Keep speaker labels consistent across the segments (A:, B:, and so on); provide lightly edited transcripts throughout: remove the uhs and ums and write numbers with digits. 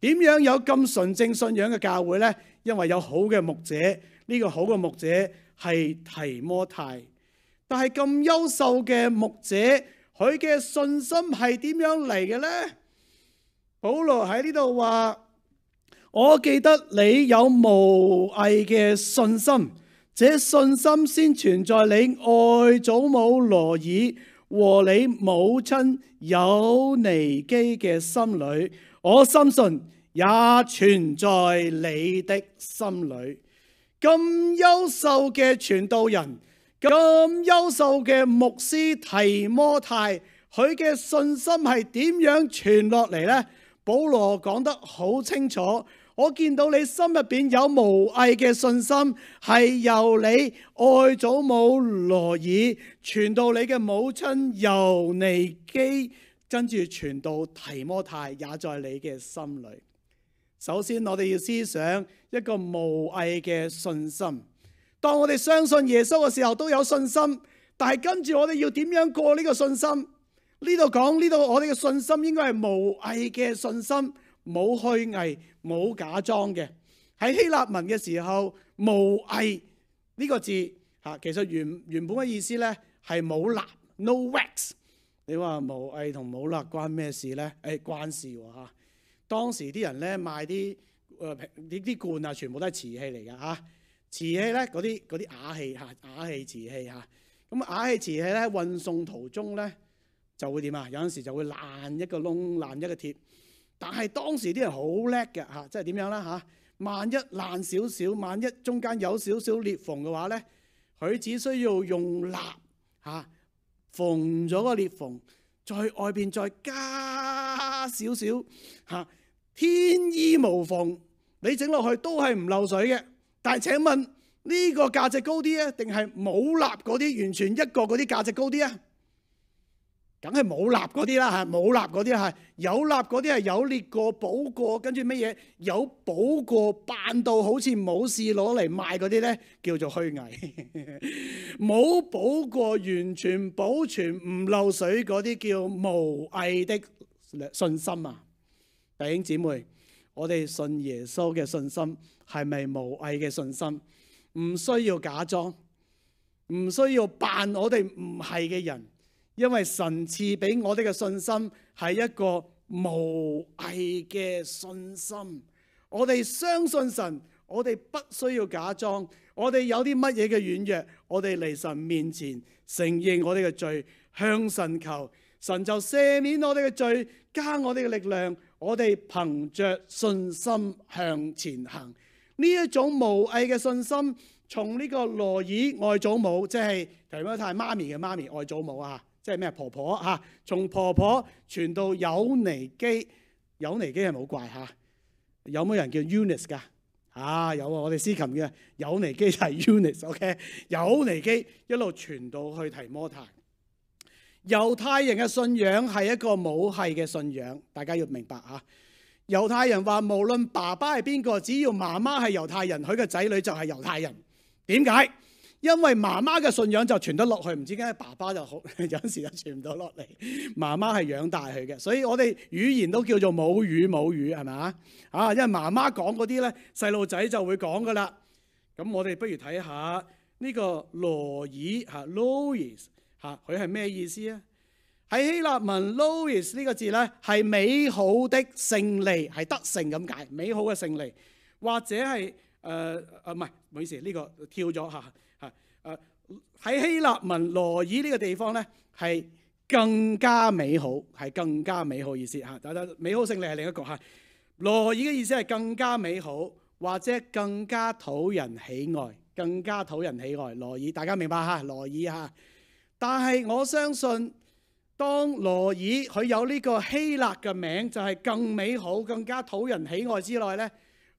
A: 點樣有咁純正信仰嘅教會呢？因為有好嘅牧者，呢個好嘅牧者係提摩太。但係咁優秀嘅牧者，佢嘅信心係點樣嚟嘅呢？保羅喺呢度話：我記得你有無偽嘅信心，這信心先存在你外祖母羅爾和你母親友尼基嘅心裏，我深信也存在你的心裏。咁優秀嘅傳道人，咁優秀嘅牧師提摩太，佢嘅信心係點樣傳落嚟呢？保羅講得好清楚，我見到你心入邊有無偽嘅信心，係由你外祖母羅爾傳到你嘅母親友尼基，跟住傳到提摩太，也在你嘅心裏。首先我哋要思想一個無偽嘅信心。當我哋相信耶穌嘅時候都有信心，但係跟住我哋要點樣過呢個信心？呢度講呢度，我哋嘅信心應該係無偽嘅信心，冇虛偽、冇假裝嘅。喺希臘文嘅時候，無偽呢個字嚇，其實原本嘅意思咧係冇蠟 ，no wax。你話無偽同冇蠟關咩事咧？關事喎嚇。當時啲人咧賣啲罐啊，全部都係瓷器嚟㗎嚇。瓷器咧嗰啲瓦器嚇，瓦器瓷器嚇。咁瓦器瓷器咧運送途中咧就會點啊？有陣時就會爛一個窿，爛一個鐵。但係當時啲人好叻嘅嚇，即係點樣啦嚇？萬一爛少少，萬一中間有少少裂縫嘅話咧，佢只需要用蠟嚇縫咗個裂縫，在外邊再加少少嚇，天衣無縫，你整落去都係唔漏水嘅。但係請問呢個價值高啲啊，定係冇蠟嗰啲完全一個嗰啲價值高啲啊？梗係冇蠟嗰啲啦嚇，冇蠟嗰啲係，有蠟嗰啲係有裂過補過，跟住乜嘢有補過扮到好似冇事攞嚟賣嗰啲咧，叫做虛偽。冇補過完全保存唔漏水嗰啲叫無偽的信心啊！弟兄姊妹，我哋信耶穌嘅信心係咪無偽嘅信心？唔需要假裝，唔需要扮我哋唔係嘅人。因為神賜俾我哋嘅信心係一個無偽嘅信心，我哋相信神，我哋不需要假裝。我哋有啲乜嘢嘅軟弱，我哋嚟神面前承認我哋嘅罪，向神求，神就赦免我哋嘅罪，加我哋嘅力量，我哋憑着信心向前行。呢一種無偽嘅信心，從呢個羅爾外祖母，即係提摩太媽咪嘅媽咪外祖母啊。即係咩婆婆嚇？從婆婆傳到友尼基，友尼基係冇怪嚇。有冇人叫 Eunice 㗎？有啊，我哋司琴嘅友尼基就係 Eunice。OK， 友尼基一路傳到去提摩太。猶太人嘅信仰係一個母系嘅信仰，大家要明白嚇。猶太人話無論爸爸係邊個，只要媽媽係猶太人，佢嘅仔女就係猶太人。點解？因為媽媽嘅信仰就傳得落去，唔知點解爸爸就好有陣時就傳唔到落嚟。媽媽係養大佢嘅，所以我哋語言都叫做母語，係咪啊？因為媽媽講嗰啲咧，細路仔就會講噶啦。咁我哋不如睇下呢個羅爾嚇 Lois 嚇，佢係咩意思啊？喺希臘文 Lois 呢個字咧係美好的勝利，係得勝咁解，美好嘅勝利，或者係唔係，唔好意思，呢個跳咗嚇。喺希臘文羅爾呢個地方咧係更加美好，係更加美好意思嚇。但係美好勝利係另一個嚇。羅爾嘅意思係更加美好，或者更加討人喜愛，更加討人喜愛。羅爾大家明白嚇？羅爾嚇。但係我相信，當羅爾佢有呢個希臘嘅名，就係更美好、更加討人喜愛之內咧。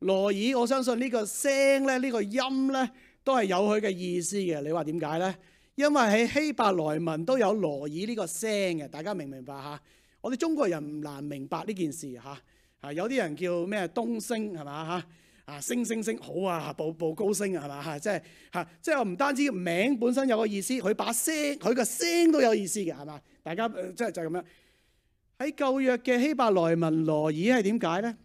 A: 羅爾我相信呢個聲咧，呢個音咧，都係有佢嘅意思嘅。你話點解呢？因為喺希伯來文都有羅爾呢個聲嘅，大家明唔明白嚇？我哋中國人唔難明白呢件事嚇。有啲人叫咩東升係嘛嚇？升好啊，步高升係嘛嚇？即係唔單止名本身有個意思，佢把聲佢個聲都有意思嘅係嘛？大家即係就係咁樣。喺舊約嘅希伯來文羅爾係點解呢？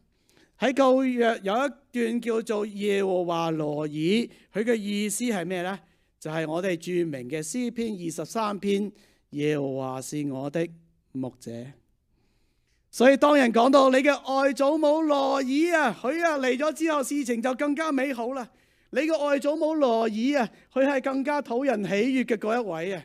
A: 喺舊約有一段叫做耶和華羅爾，佢嘅意思係咩呢？就係我哋著名嘅詩篇23篇，耶和華是我的牧者。所以當人講到你嘅外祖母羅爾啊，佢嚟咗之後，事情就更加美好啦。你嘅外祖母羅爾啊，佢係更加討人喜悅嘅嗰一位啊，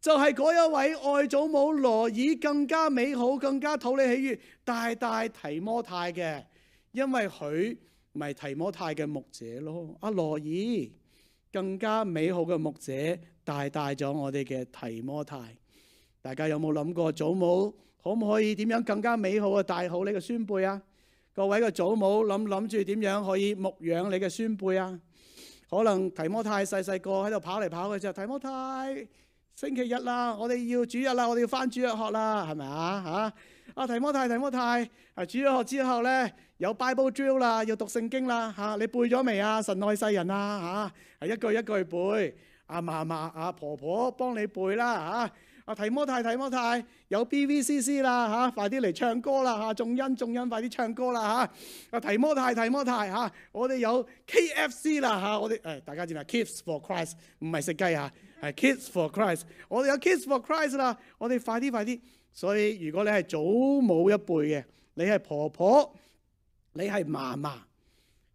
A: 就係嗰一位外祖母羅爾更加美好、更加討你喜悅，大提摩太嘅，因為佢咪提摩太嘅牧者咯。阿羅爾更加美好嘅牧者，帶咗我哋嘅提摩太。大家有冇諗過祖母可唔可以點樣更加美好嘅帶好你嘅孫輩啊？各位嘅祖母諗住點樣可以牧養你嘅孫輩啊？可能提摩太細個喺度跑嚟跑去之後，提摩太星期日啦，我哋要主日啦，我哋要返主日學啦，係咪啊？提摩太，主日學之後咧有 Bible drill 啦，要讀聖經啦，你背咗未啊？神愛世人啊，係一句一句背。阿嫲嫲婆婆幫你背啦，提摩太有 BVCC 啦，快啲嚟唱歌啦，眾恩快啲唱歌啦，提摩太我哋有 KFC 啦，我哋大家知唔知 Kids for Christ 唔係食雞係 Kids for Christ， 我哋有 Kids for Christ 啦，我哋快啲。所以如果你係祖母一輩嘅，你係婆婆，你係嫲嫲，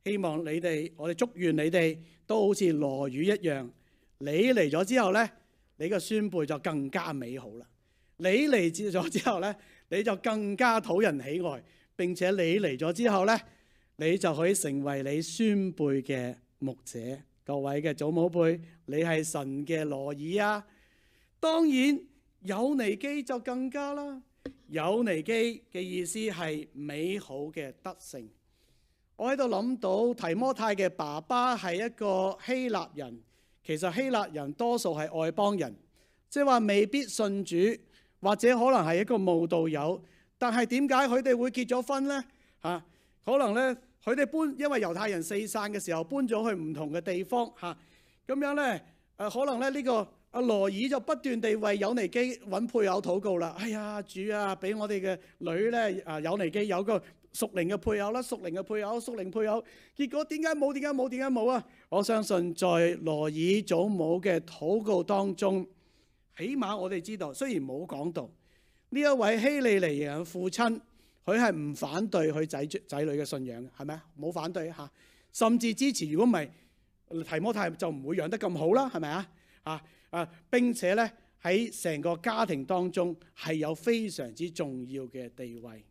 A: 希望你哋，我哋祝願你哋都好似羅宇一樣，你嚟咗之後呢，你個孫輩就更加美好啦。你嚟咗之後呢，你就更加討人喜愛，並且你嚟咗之後呢，你就可以成為你孫輩嘅牧者。各位嘅祖母輩，你係神嘅羅爾啊！當然有尼基就更加啦。有尼基嘅意思係美好嘅德性。我喺度諗到提摩太嘅爸爸係一個希臘人，其實希臘人多數係外邦人，即係話未必信主，或者可能係一個慕道友。但係點解佢哋會結咗婚呢？可能呢，佢哋搬，因為猶太人四散嘅時候搬咗去唔同嘅地方咁樣呢，可能咧呢個阿羅爾就不斷地為有尼基揾配偶禱告啦。哎呀，主啊，俾我哋嘅女咧有尼基有個屬靈嘅配偶啦，屬靈配偶。結果點解冇啊？我相信在羅爾祖母嘅禱告當中，起碼我哋知道，雖然冇講到呢一位希利尼人嘅父親，佢係唔反對佢仔女嘅信仰嘅，係咪啊？冇反對甚至支持。如果唔係提摩太就唔會養得咁好啦，係咪啊？並且咧喺成個家庭當中係有非常之重要嘅地位。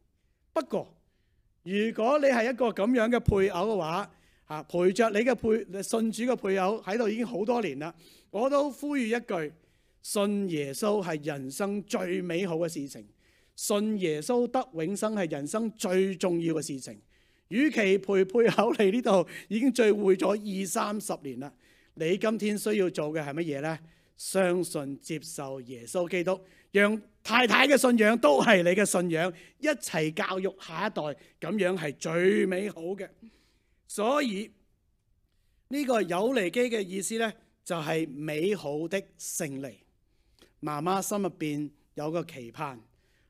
A: 不過如果你係一個咁樣嘅配偶嘅話，陪着你嘅信主嘅配偶喺度已經好多年啦，我都呼籲一句：信耶穌係人生最美好嘅事情，信耶穌得永生係人生最重要嘅事情。與其陪配偶嚟呢度已經聚會咗20-30年啦，你今天需要做嘅係乜嘢呢？相信接受耶穌基督，讓太太嘅信仰都係你嘅信仰，一齊教育下一代，咁樣係最美好嘅。所以呢個有尼基嘅意思呢，就係美好的勝利。媽媽心入邊有個期盼，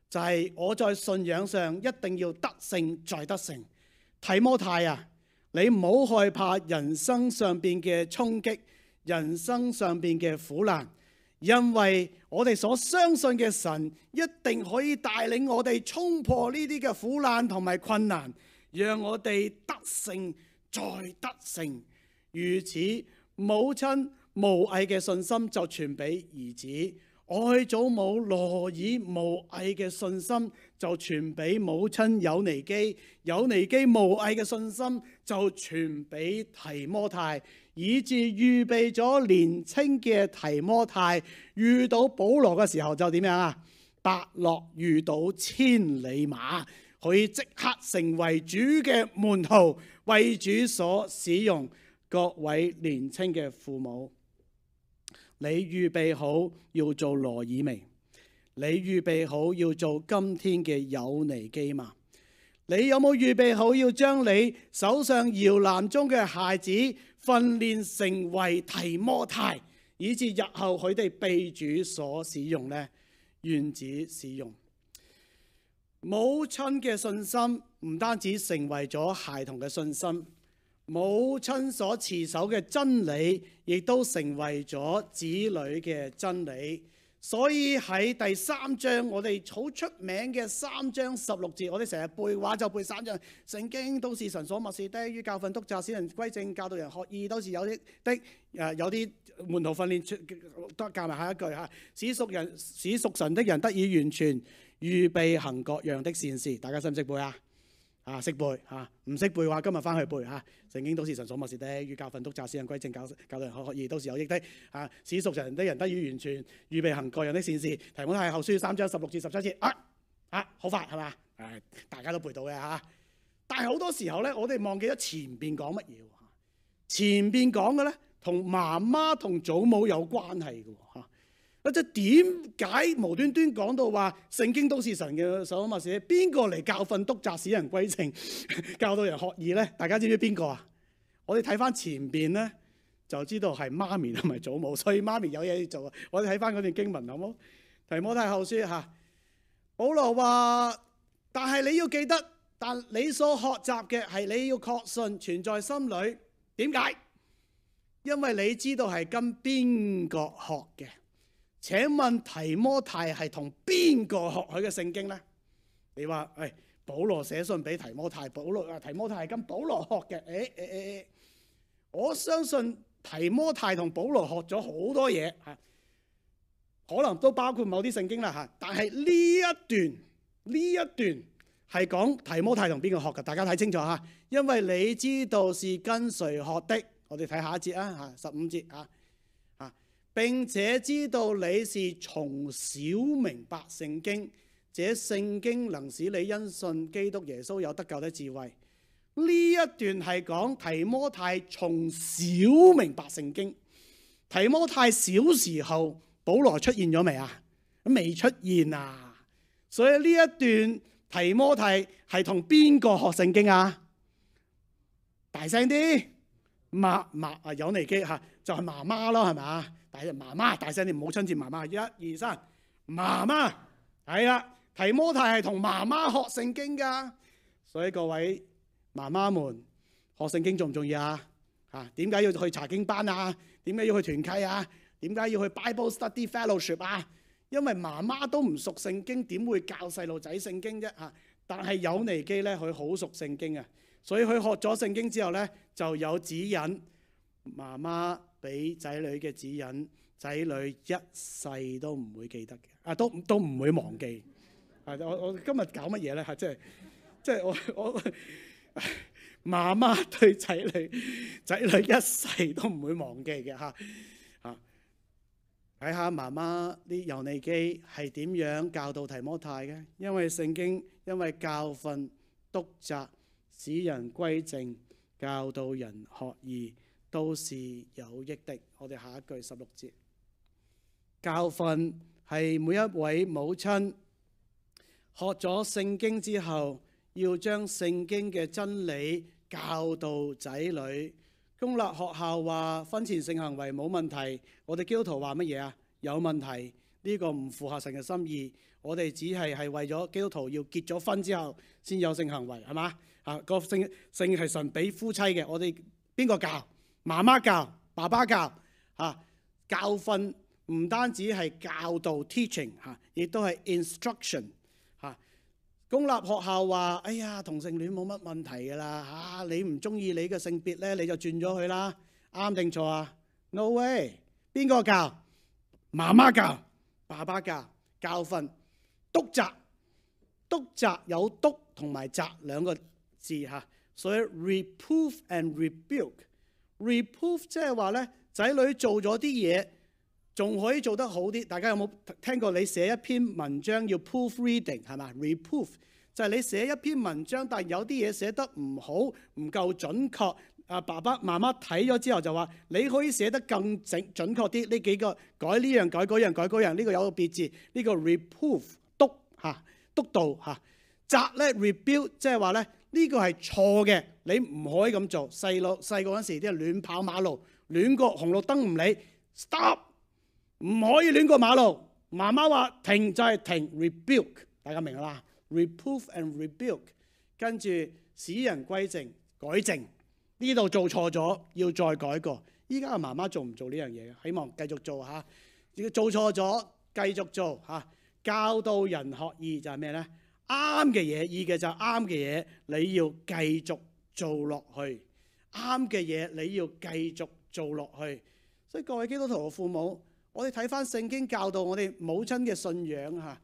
A: 就係我在信仰上一定要得勝再得勝。提摩太啊，你唔好害怕人生上邊嘅衝擊，人生上邊嘅苦難，因為我哋所相信嘅神一定可以帶領我哋衝破呢啲嘅苦難同埋困難，讓我哋得勝再得勝。如此，母親無偽嘅信心就傳俾兒子，外祖母羅爾無偽嘅信心就傳俾母親有尼基，有尼基無偽嘅信心就傳俾提摩太，以致預備咗年青嘅提摩太遇到保羅嘅時候就點樣啊？伯樂遇到千里馬，可以即刻成為主嘅門徒，為主所使用。各位年青嘅父母，你預備好要做羅爾未？你預備好要做今天嘅有尼基嗎？你有冇預備好要將你手上搖籃中嘅孩子訓練成為提摩太，以致日後佢哋被主所使用呢？願主使用。母親嘅信心唔單止成為咗孩童嘅信心，母親所持守嘅真理，亦都成為咗子女嘅真理。所以喺第3章，我哋好出名嘅3章16節，我哋成日背話就背3章。聖經都是神所默示的，於教訓、督責、使人歸正、教導人學義，都是有益的。有啲門徒訓練都加埋下一句嚇，使屬神的人得以完全，預備行各樣的善事。大家識唔識背啊？識背嚇，唔識背嘅話，今日翻去背嚇。聖經都是神所默示的，於教訓、督責、使人歸正、教導人學義，都是有益的。使屬神的人得以完全，預備行各樣的善事。提摩太後書3章16至17節。好快係嘛？大家都背到嘅嚇。但係好多時候咧，我哋忘記咗前邊講乜嘢喎？前邊講嘅咧，同媽媽同祖母有關係嘅喎。即係點解無端端講到話聖經都是神嘅所默示？邊個嚟教訓、督責、使人歸正、教導人學義咧？大家知唔知邊個啊？我哋睇翻前邊咧，就知道係媽咪同埋祖母，所以媽咪有嘢要做。我哋睇翻嗰段經文好冇？提摩太後書嚇，保羅話：但係你要記得，但你所學習嘅係你要確信存在心裏。點解？因為你知道係跟邊個學嘅。請問提摩太係同邊個學佢嘅聖經呢？你話保羅寫信俾提摩太，提摩太係跟保羅學嘅。我相信提摩太同保羅學咗好多嘢嚇，可能都包括某啲聖經啦嚇。但係呢一段係講提摩太同邊個學嘅？大家睇清楚嚇，因為你知道是跟誰學的。我哋睇下一節啊嚇，15節啊。並且知道你是從小明白聖經，這聖經能使你因信基督耶穌有得救的智慧。呢一段係講提摩太從小明白聖經。提摩太小時候，保羅出現咗未啊？未出現啊！所以呢一段提摩太係同邊個學聖經啊？大聲啲，有尼基嚇，就係媽媽咯，係咪？媽媽大聲啲，母親節媽媽，1、2、3，媽媽係啦。提摩太係同媽媽學聖經噶，所以各位媽媽們學聖經重唔重要啊？點解要去查經班啊？點解要去團契啊？點解要去 Bible Study Fellowship 啊？因為媽媽都唔熟聖經，點會教細路仔聖經啫？但係有尼基咧，佢好熟聖經啊，所以佢學咗聖經之後咧，就有指引。媽媽俾仔女嘅指引，仔女一世都唔會記得嘅，都唔會忘記。我今日搞乜嘢咧？即係我媽媽對仔女一世都唔會忘記嘅嚇。睇下媽媽啲猶尼基係點樣教導提摩太嘅？因為聖經，因為教訓、督責、使人歸正、教導人學義，都是有益的。我哋下一句16節，教訓係每一位母親學咗聖經之後，要將聖經嘅真理教導仔女。公立學校話婚前性行為冇問題，我哋基督徒話乜嘢啊？有問題，呢個唔符合神嘅心意。我哋只係為咗基督徒要結咗婚之後先有性行為，係嘛？個性係神俾夫妻嘅，我哋邊個教？媽媽教，爸爸教。教訓唔單止係教導 teaching 亦都係 instruction。公立學校話：哎呀，同性戀冇乜問題㗎啦，你唔中意你嘅性別咧，你就轉咗佢啦，啱定錯啊 ？No way！ 邊個教？媽媽教，爸爸教。教訓、督責，督責有督同埋責兩個字嚇，所以 reproof and rebuke。reproof 即係話咧，仔女做咗啲嘢，仲可以做得好啲。大家有冇聽過你寫一篇文章要 proofreading 係嘛？reproof 就係你寫一篇文章，但係有啲嘢寫得唔好，唔夠準確。爸爸媽媽睇咗之後就話：你可以寫得更準確啲。呢幾個改呢樣改嗰樣改嗰樣，呢個有個別字，呢個 reproof 督導嚇。責咧 rebuke 即係話咧，呢個係錯嘅，你唔可以咁做。細個嗰陣時啲人亂跑馬路，亂過紅綠燈唔理 ，stop， 唔可以亂過馬路。媽媽話停就係停 ，rebuke， 大家明啦？reproof and rebuke，跟住使人歸正，改正。呢度做錯咗，要再改過。依家嘅媽媽做唔做呢樣嘢？希望繼續做嚇。做錯咗，繼續做嚇。教導人學義就係咩呢？啱嘅嘢，義嘅就係啱嘅嘢，你要繼續做落去。啱嘅嘢你要繼續做落去。所以各位基督徒嘅父母，我哋睇翻聖經教導我哋母親嘅信仰嚇，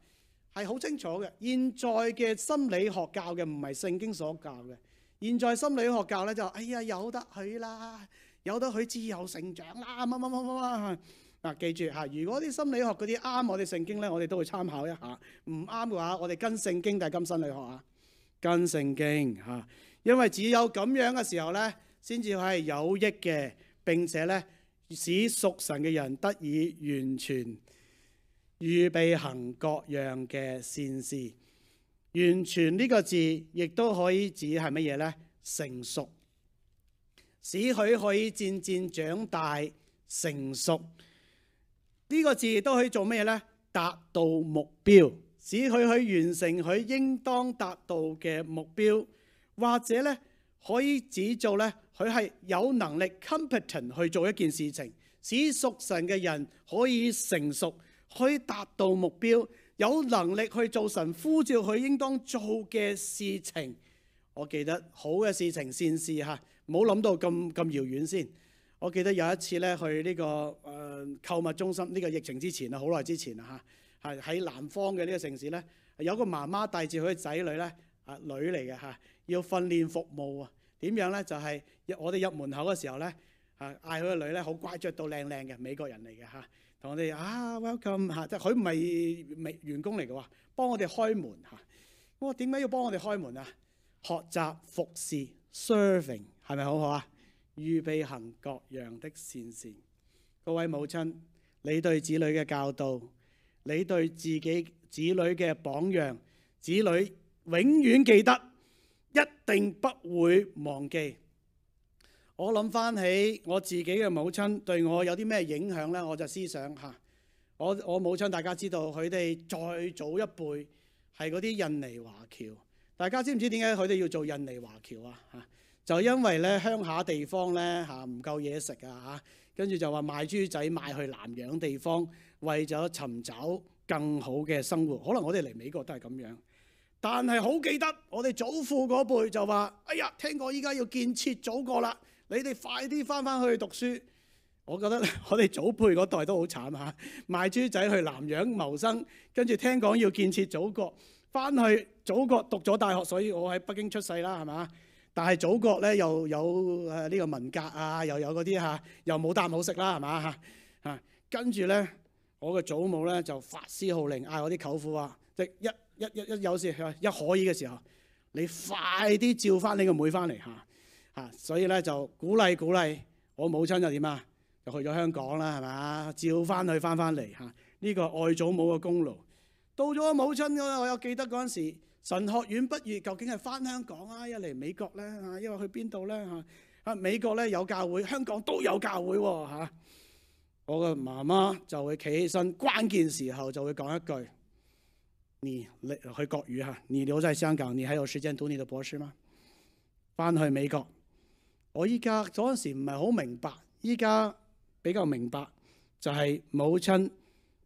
A: 係好清楚嘅。現在嘅心理學教嘅唔係聖經所教嘅。現在心理學教咧就哎呀，由得佢啦，由得佢自由成長啦，乜乜乜乜乜。嗱，記住嚇，如果啲心理學嗰啲啱我哋聖經咧，我哋都會參考一下；唔啱嘅話，我哋跟聖經定係跟心理學啊？跟聖經嚇，因為只有咁樣嘅時候咧，先至係有益嘅，並且咧使屬神嘅人得以完全預備行各樣嘅善事。完全呢個字亦都可以指係乜嘢呢？成熟，使佢可以漸漸長大成熟。呢個字亦都可以做咩呢？達到目標，使佢去完成佢應當達到嘅目標，或者呢可以指做呢，佢係有能力 competent 去做一件事情，使屬神嘅人可以成熟，可以達到目標。有能力去做神呼召佢應當做嘅事情。我記得好嘅事情善事嚇，唔好諗到咁遙遠先。我記得有一次咧去呢個購物中心，呢個疫情之前啊，好耐之前啊嚇，係喺南方嘅呢個城市咧，有個媽媽帶住佢嘅仔女咧，女嚟嘅嚇，要訓練服務啊。點樣咧？就係我哋入門口嘅時候咧，嗌佢個女咧好乖，着到靚靚嘅美國人嚟嘅嚇。同我哋welcome 嚇，即係佢唔係員工嚟嘅喎，幫我哋開門嚇。我話點解要幫我哋開門啊？學習服侍 serving 係咪好好啊？預備行各樣的善事。各位母親，你對子女嘅教導，你對自己子女嘅榜樣，子女永遠記得，一定不會忘記。我諗翻起我自己嘅母親對我有啲咩影響呢？我就思想下，我母親大家知道佢哋再早一輩係嗰啲印尼華僑。大家知唔知點解佢哋要做印尼華僑啊？就因為咧鄉下地方咧唔夠嘢食啊，跟住就話賣豬仔賣去南洋地方，為咗尋找更好嘅生活。可能我哋嚟美國都係咁樣，但係好記得我哋祖父嗰輩就話：哎呀，聽講依家要建設祖國啦！你哋快啲翻去讀書。我覺得我哋祖輩嗰代都好慘嚇，賣豬仔去南洋謀生，跟住聽講要建設祖國，翻去祖國讀咗大學，所以我喺北京出世啦，係嘛？但係祖國咧又有呢個文革啊，又有嗰啲嚇，又冇啖好食啦，係嘛嚇？跟住咧，我嘅祖母咧就發施號令，嗌我啲舅父話：即一有事一可以嘅時候，你快啲召翻你個妹翻嚟嚇。所以咧就鼓勵我母親就點啊？就去咗香港啦，係嘛？召翻佢翻嚟嚇。呢個愛祖母嘅功勞。到咗我母親嗰，我有記得嗰陣時，神學院畢業，究竟係翻香港啊，一嚟美國咧嚇，因為去邊度咧嚇？美國咧有教會，香港都有教會喎嚇。我嘅媽媽就會企起身，關鍵時候就會講一句：你去國語嚇，你留在香港，你還有時間讀你的博士嗎？翻去美國。我依家嗰陣時唔係好明白，依家比較明白，就係母親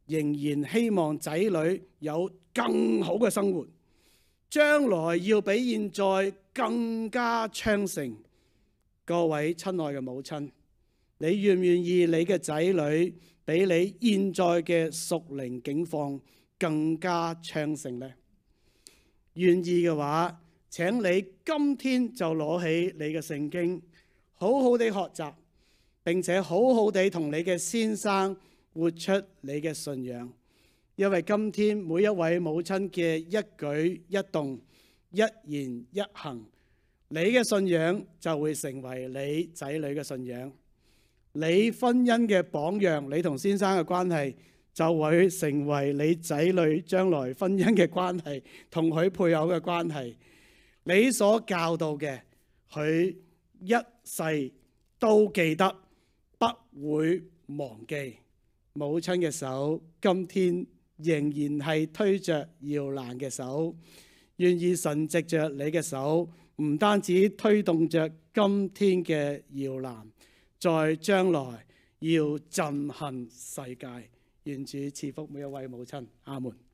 A: 仍然希望仔女有更好嘅生活，將來要比現在更加昌盛。各位親愛嘅母親，你願唔願意你嘅仔女比你現在嘅屬靈境況更加昌盛呢？願意嘅話，請你今天就攞起你嘅聖經，好好地學習，並且好好地同你嘅先生活出你嘅信仰。因為今天每一位母親嘅一舉一動、一言一行，你嘅信仰就會成為你仔女嘅信仰。你婚姻嘅榜樣，你同先生嘅關係就會成為你仔女將來婚姻嘅關係，同佢配偶嘅關係。你所教導嘅，佢一世都記得，不會忘記。母親嘅手今天仍然係推着搖籃嘅手，願意神藉着你嘅手，唔單止推動着今天嘅搖籃，在將來要震撼世界。願主賜福每一位母親。阿門。